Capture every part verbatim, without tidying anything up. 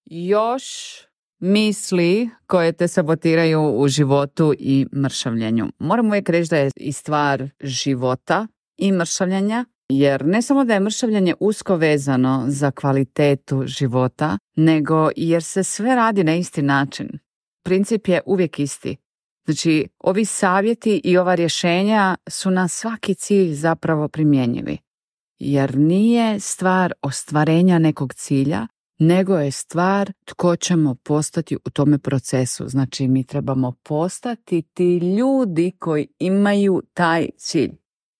još misli koje te sabotiraju u životu i mršavljenju. Moram uvijek reći da je i stvar života i mršavljenja, jer ne samo da je mršavljenje usko vezano za kvalitetu života, nego jer se sve radi na isti način. Princip je uvijek isti. Znači, ovi savjeti i ova rješenja su na svaki cilj zapravo primjenjivi. Jer nije stvar ostvarenja nekog cilja, nego je stvar tko ćemo postati u tome procesu. Znači, mi trebamo postati ti ljudi koji imaju taj cilj.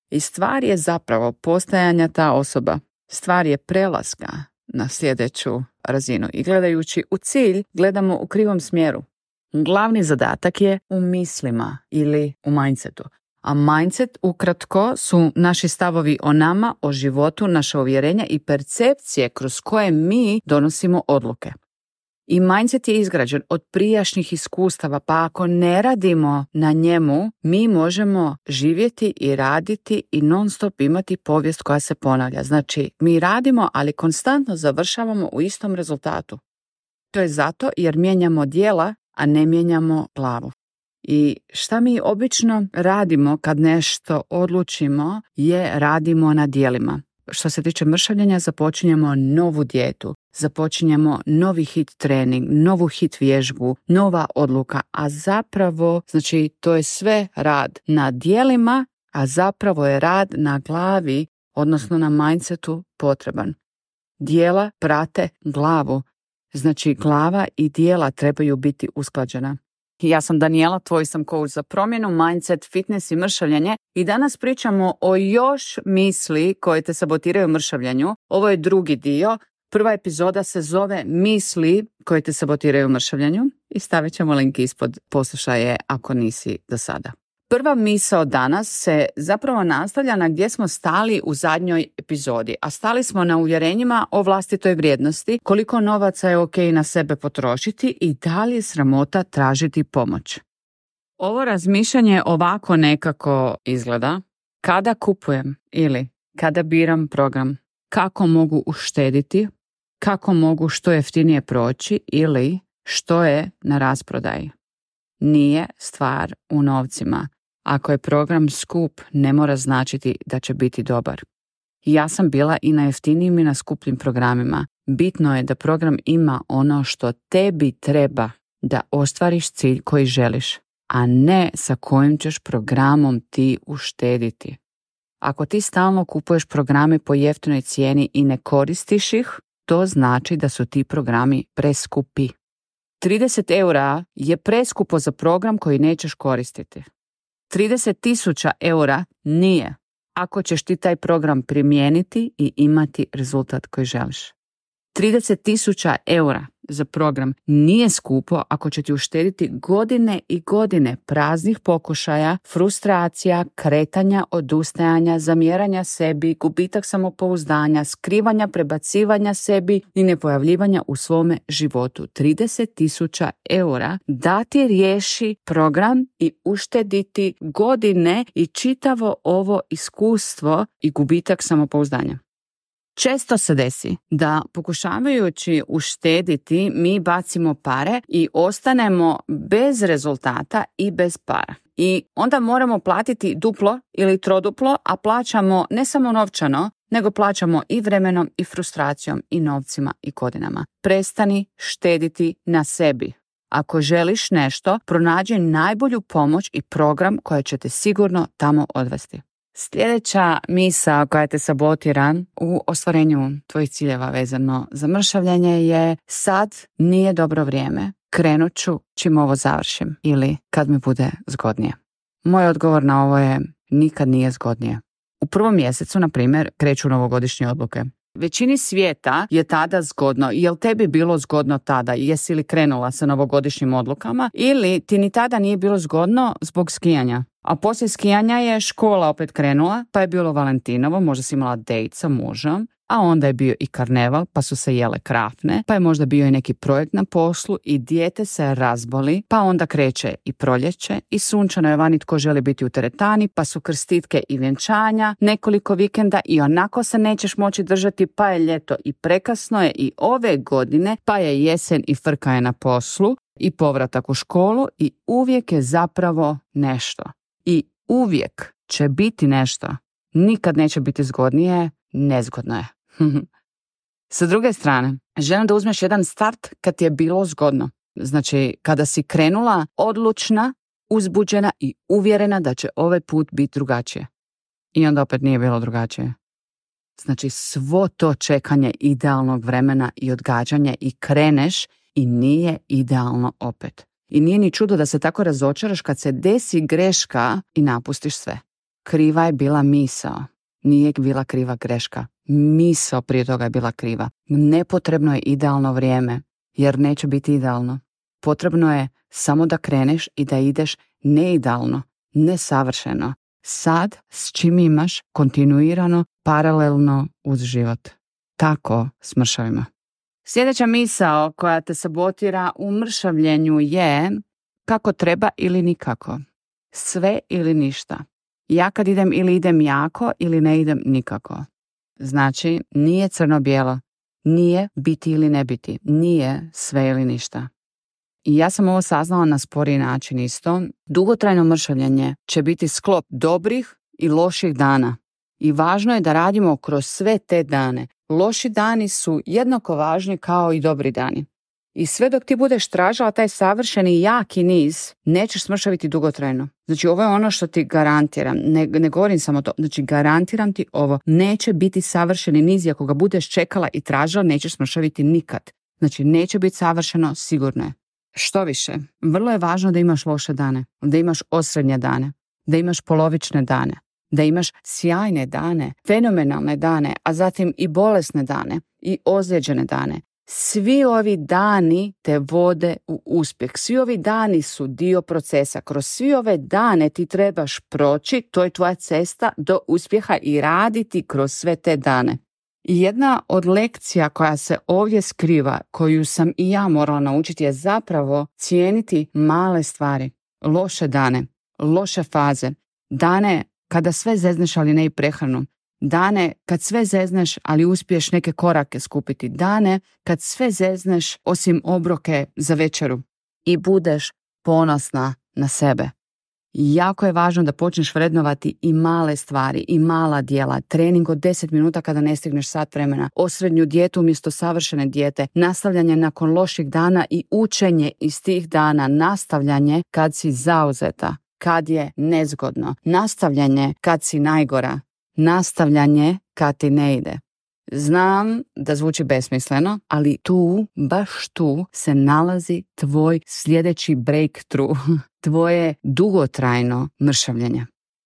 I stvar je zapravo postajanja ta osoba. Stvar je prelaska na sljedeću razinu. I gledajući u cilj, gledamo u krivom smjeru. Glavni zadatak je u mislima ili u mindsetu. A mindset, ukratko, su naši stavovi o nama, o životu, naše uvjerenja i percepcije kroz koje mi donosimo odluke. I mindset je izgrađen od prijašnjih iskustava, pa ako ne radimo na njemu, mi možemo živjeti i raditi i non stop imati povijest koja se ponavlja. Znači, mi radimo, ali konstantno završavamo u istom rezultatu. To je zato jer mijenjamo djela, a ne mijenjamo glavu. I šta mi obično radimo kad nešto odlučimo je radimo na djelima. Što se tiče mršavljenja, započinjemo novu dijetu, započinjemo novi hit trening, novu hit vježbu, nova odluka, a zapravo, znači, to je sve rad na djelima, a zapravo je rad na glavi, odnosno na mindsetu potreban. Djela prate glavu, znači glava i djela trebaju biti usklađena. Ja sam Daniela, tvoj sam coach za promjenu, mindset, fitness i mršavljenje i danas pričamo o još misli koje te sabotiraju u mršavljenju. Ovo je drugi dio. Prva epizoda se zove misli koje te sabotiraju u mršavljenju i stavit ćemo link ispod, poslušaje ako nisi do sada. Prva misao danas se zapravo nastavlja na gdje smo stali u zadnjoj epizodi, a stali smo na uvjerenjima o vlastitoj vrijednosti, koliko novaca je ok na sebe potrošiti i da li je sramota tražiti pomoć. Ovo razmišljanje ovako nekako izgleda: kada kupujem ili kada biram program, kako mogu uštediti, kako mogu što jeftinije proći ili što je na rasprodaji. Nije stvar u novcima. Ako je program skup, ne mora značiti da će biti dobar. Ja sam bila i na jeftinijim i na skupljim programima. Bitno je da program ima ono što tebi treba da ostvariš cilj koji želiš, a ne sa kojim ćeš programom ti uštediti. Ako ti stalno kupuješ programe po jeftinoj cijeni i ne koristiš ih, to znači da su ti programi preskupi. trideset eura je preskupo za program koji nećeš koristiti. trideset tisuća eura nije, ako ćeš ti taj program primijeniti i imati rezultat koji želiš. trideset tisuća eura za program nije skupo ako će ti uštediti godine i godine praznih pokušaja, frustracija, kretanja, odustajanja, zamjeranja sebi, gubitak samopouzdanja, skrivanja, prebacivanja sebi i nepojavljivanja u svome životu. trideset tisuća eura da ti riješi program i uštediti godine i čitavo ovo iskustvo i gubitak samopouzdanja. Često se desi da pokušavajući uštediti mi bacimo pare i ostanemo bez rezultata i bez para. I onda moramo platiti duplo ili troduplo, a plaćamo ne samo novčano, nego plaćamo i vremenom i frustracijom i novcima i godinama. Prestani štediti na sebi. Ako želiš nešto, pronađi najbolju pomoć i program koja će te sigurno tamo odvesti. Sljedeća misao koja te sabotira u ostvarenju tvojih ciljeva vezano za mršavljenje je: sad nije dobro vrijeme, krenut ću čim ovo završim ili kad mi bude zgodnije. Moj odgovor na ovo je: nikad nije zgodnije. U prvom mjesecu, na primjer, kreću novogodišnje odluke. Većini svijeta je tada zgodno. Jel tebi bilo zgodno tada? Jesi li krenula sa novogodišnjim odlukama? Ili ti ni tada nije bilo zgodno zbog skijanja? A poslije skijanja je škola opet krenula, pa je bilo Valentinovo, možda si imala dejt sa mužem, a onda je bio i karneval, pa su se jele krafne, pa je možda bio i neki projekt na poslu i dijete se razboli, pa onda kreće i proljeće i sunčano je vani tko želi biti u teretani, pa su krstitke i vjenčanja, nekoliko vikenda i onako se nećeš moći držati, pa je ljeto i prekasno je i ove godine, pa je jesen i frka je na poslu i povratak u školu i uvijek je zapravo nešto. I uvijek će biti nešto. Nikad neće biti zgodnije, nezgodno je. Sa druge strane, želim da uzmeš jedan start kad ti je bilo zgodno. Znači, kada si krenula odlučna, uzbuđena i uvjerena da će ovaj put biti drugačije. I onda opet nije bilo drugačije. Znači, svo to čekanje idealnog vremena i odgađanje i kreneš i nije idealno opet. I nije ni čudo da se tako razočaraš kad se desi greška i napustiš sve. Kriva je bila misao. Nije bila kriva greška. Misao prije toga je bila kriva. Nepotrebno je idealno vrijeme, jer neće biti idealno. Potrebno je samo da kreneš i da ideš neidealno, nesavršeno. Sad s čim imaš kontinuirano, paralelno uz život. Tako s mršavima. Sljedeća misao koja te sabotira u mršavljenju je kako treba ili nikako. Sve ili ništa. Ja kad idem ili idem jako ili ne idem nikako. Znači, nije crno-bijelo. Nije biti ili ne biti. Nije sve ili ništa. I ja sam ovo saznala na sporiji način isto. Dugotrajno mršavljenje će biti sklop dobrih i loših dana. I važno je da radimo kroz sve te dane. Loši dani su jednako važni kao i dobri dani. I sve dok ti budeš tražila taj savršeni jaki niz, nećeš smršaviti dugotrajno. Znači, ovo je ono što ti garantiram. Ne, ne govorim samo to. Znači, garantiram ti ovo. Neće biti savršeni niz i ako ga budeš čekala i tražila, nećeš smršaviti nikad. Znači, neće biti savršeno, sigurno je. Što više, vrlo je važno da imaš loše dane, da imaš osrednje dane, da imaš polovične dane, da imaš sjajne dane, fenomenalne dane, a zatim i bolesne dane i ozlijeđene dane. Svi ovi dani te vode u uspjeh. Svi ovi dani su dio procesa. Kroz svi ove dane ti trebaš proći, to je tvoja cesta do uspjeha i raditi kroz sve te dane. I jedna od lekcija koja se ovdje skriva, koju sam i ja morala naučiti, je zapravo cijeniti male stvari, loše dane, loše faze, dane kada sve zezneš ali ne i prehranu, dane kad sve zezneš ali uspiješ neke korake skupiti, dane kad sve zezneš osim obroke za večeru i budeš ponosna na sebe. Jako je važno da počneš vrednovati i male stvari, i mala djela, trening od deset minuta kada ne stigneš sat vremena, osrednju dijetu umjesto savršene dijete, nastavljanje nakon loših dana i učenje iz tih dana, nastavljanje kad si zauzeta, kad je nezgodno, nastavljanje kad si najgora, nastavljanje kad ti ne ide. Znam da zvuči besmisleno, ali tu, baš tu, se nalazi tvoj sljedeći breakthrough, tvoje dugotrajno mršavljenje.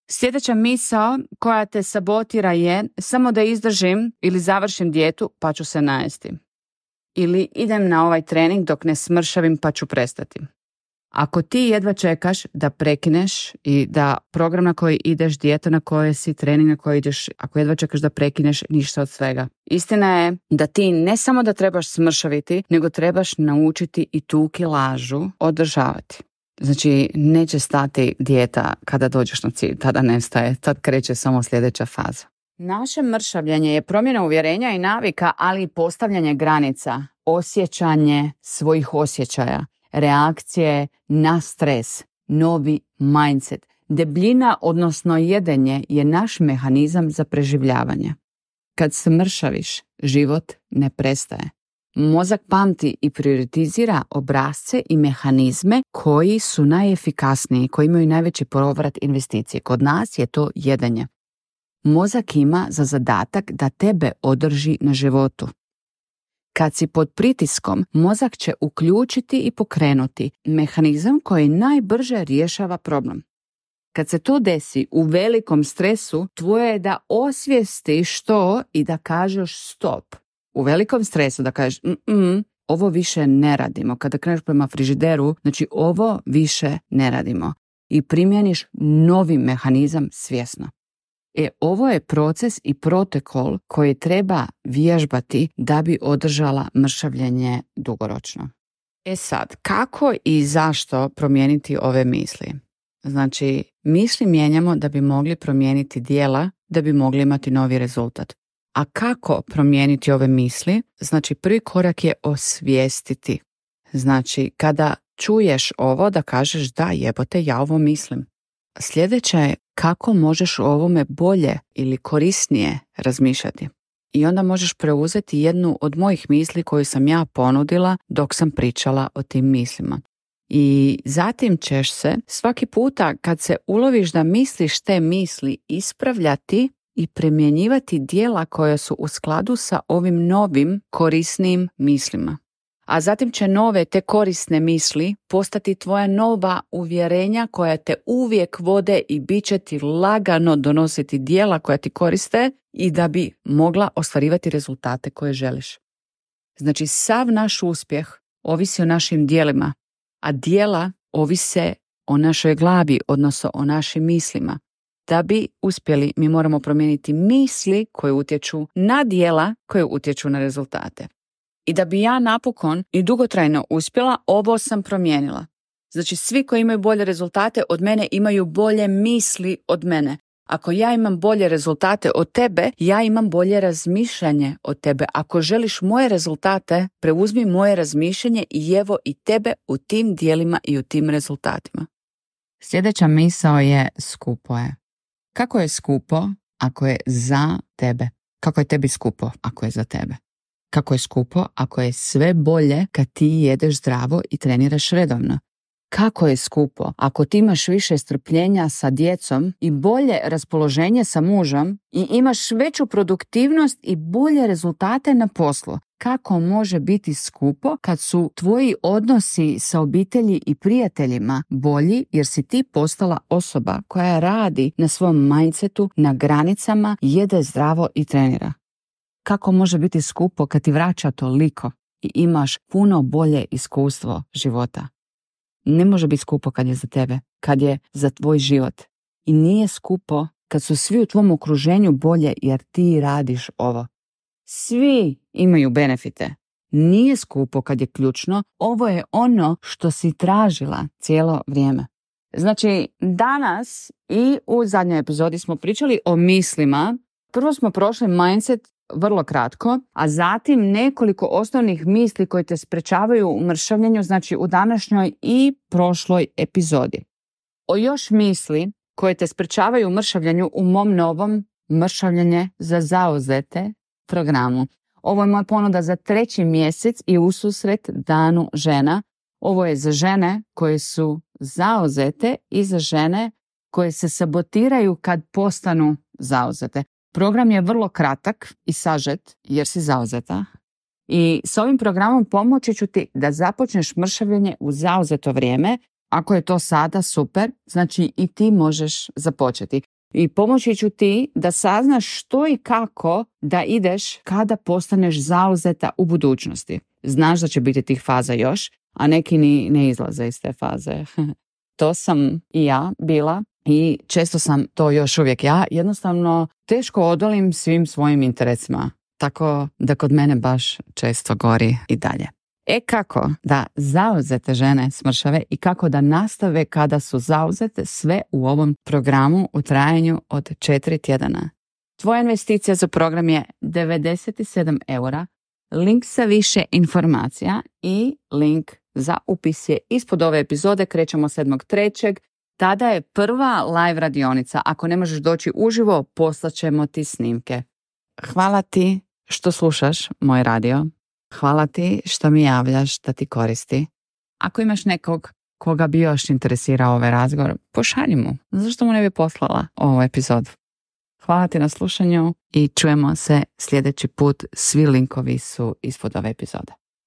Sljedeća misao koja te sabotira je samo da izdržim ili završim dijetu pa ću se najesti. Ili idem na ovaj trening dok ne smršavim pa ću prestati. Ako ti jedva čekaš da prekineš i da program na koji ideš, dijeta na kojoj si, trening na koji ideš, ako jedva čekaš da prekineš, ništa od svega. Istina je da ti ne samo da trebaš smršaviti, nego trebaš naučiti i tu kilažu održavati. Znači, neće stati dijeta kada dođeš na cilj, tada nestaje, tad kreće samo sljedeća faza. Naše mršavljenje je promjena uvjerenja i navika, ali i postavljanje granica, osjećanje svojih osjećaja, reakcije na stres, novi mindset. Debljina, odnosno jedenje, je naš mehanizam za preživljavanje. Kad se mršaviš, život ne prestaje. Mozak pamti i prioritizira obrasce i mehanizme koji su najefikasniji, koji imaju najveći povrat investicije. Kod nas je to jedenje. Mozak ima za zadatak da tebe održi na životu. Kad si pod pritiskom, mozak će uključiti i pokrenuti mehanizam koji najbrže rješava problem. Kad se to desi u velikom stresu, tvoje je da osvijestiš to i da kažeš stop. U velikom stresu da kažeš mm ovo više ne radimo. Kada kreneš prema frižideru, znači ovo više ne radimo. I primjeniš novi mehanizam svjesno. E, ovo je proces i protokol koji treba vježbati da bi održala mršavljenje dugoročno. E sad, kako i zašto promijeniti ove misli? Znači, misli mijenjamo da bi mogli promijeniti djela, da bi mogli imati novi rezultat. A kako promijeniti ove misli? Znači, prvi korak je osvijestiti. Znači, kada čuješ ovo da kažeš da jebote, ja ovo mislim. Sljedeće je kako možeš o ovome bolje ili korisnije razmišljati. I onda možeš preuzeti jednu od mojih misli koju sam ja ponudila dok sam pričala o tim mislima. I zatim ćeš se svaki puta kad se uloviš da misliš te misli ispravljati i primjenjivati djela koja su u skladu sa ovim novim korisnim mislima. A zatim će nove te korisne misli postati tvoja nova uvjerenja koja te uvijek vode i bit će ti lagano donositi djela koja ti koriste i da bi mogla ostvarivati rezultate koje želiš. Znači, sav naš uspjeh ovisi o našim djelima, a djela ovise o našoj glavi, odnosno o našim mislima. Da bi uspjeli, mi moramo promijeniti misli koje utječu na djela koje utječu na rezultate. I da bi ja napokon i dugotrajno uspjela, ovo sam promijenila. Znači, svi koji imaju bolje rezultate od mene imaju bolje misli od mene. Ako ja imam bolje rezultate od tebe, ja imam bolje razmišljanje od tebe. Ako želiš moje rezultate, preuzmi moje razmišljanje i evo i tebe u tim dijelima i u tim rezultatima. Sljedeća misao je skupo je. Kako je skupo ako je za tebe? Kako je tebi skupo ako je za tebe? Kako je skupo ako je sve bolje kad ti jedeš zdravo i treniraš redovno? Kako je skupo ako ti imaš više strpljenja sa djecom i bolje raspoloženje sa mužem i imaš veću produktivnost i bolje rezultate na poslu? Kako može biti skupo kad su tvoji odnosi sa obitelji i prijateljima bolji jer si ti postala osoba koja radi na svom mindsetu, na granicama, jede zdravo i trenira? Kako može biti skupo kad ti vraća toliko i imaš puno bolje iskustvo života? Ne može biti skupo kad je za tebe, kad je za tvoj život. I nije skupo kad su svi u tvom okruženju bolje jer ti radiš ovo. Svi imaju benefite. Nije skupo kad je ključno. Ovo je ono što si tražila cijelo vrijeme. Znači, danas i u zadnjoj epizodi smo pričali o mislima. Prvo smo prošli mindset vrlo kratko, a zatim nekoliko osnovnih misli koje te sprečavaju u mršavljenju, znači u današnjoj i prošloj epizodi. O još misli koje te sprečavaju u mršavljenju u mom novom mršavljenje za zauzete programu. Ovo je moja ponuda za treći mjesec i ususret Danu žena. Ovo je za žene koje su zauzete i za žene koje se sabotiraju kad postanu zauzete. Program je vrlo kratak i sažet jer si zauzeta i s ovim programom pomoći ću ti da započneš mršavljenje u zauzeto vrijeme. Ako je to sada, super, znači i ti možeš započeti. I pomoći ću ti da saznaš što i kako da ideš kada postaneš zauzeta u budućnosti. Znaš da će biti tih faza još, a neki ni ne izlaze iz te faze. To sam i ja bila. I često sam to još uvijek ja, jednostavno teško odolim svim svojim interesima, tako da kod mene baš često gori i dalje. E kako da zauzete žene smršave i kako da nastave kada su zauzete, sve u ovom programu u trajanju od četiri tjedana. Tvoja investicija za program je devedeset sedam eura, link sa više informacija i link za upis je ispod ove epizode. Krećemo sedmog trećeg Tada je prva live radionica. Ako ne možeš doći uživo, poslaćemo ti snimke. Hvala ti što slušaš moj radio. Hvala ti što mi javljaš da ti koristi. Ako imaš nekog koga bi još interesirao ovaj razgovor, pošalji mu. Zašto mu ne bi poslala ovu epizodu? Hvala ti na slušanju i čujemo se sljedeći put. Svi linkovi su ispod ove epizode.